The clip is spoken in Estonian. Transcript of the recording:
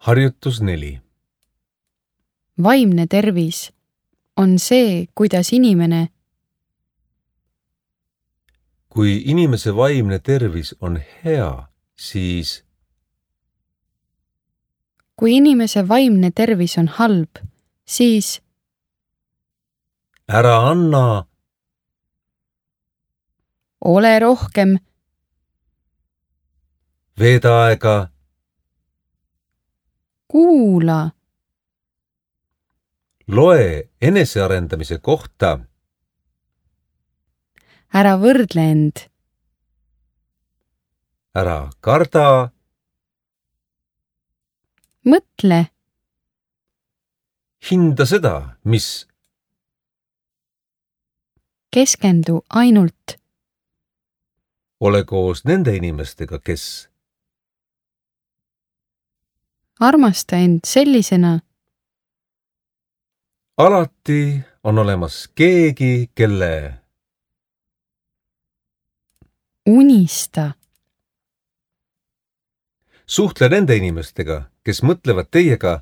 Harjutus 4. Vaimne tervis on see, kuidas inimene Kui inimese vaimne tervis on hea, siis Kui inimese vaimne tervis on halb, siis ära anna, ole rohkem, veeda aega, kuula, loe enesearendamise kohta, ära võrdle end, ära karda, mõtle, hinda seda, mis keskendu ainult, ole koos nende inimestega, kes armasta end sellisena, alati on olemas keegi, kelle unista, suhtle nende inimestega, kes mõtlevad teiega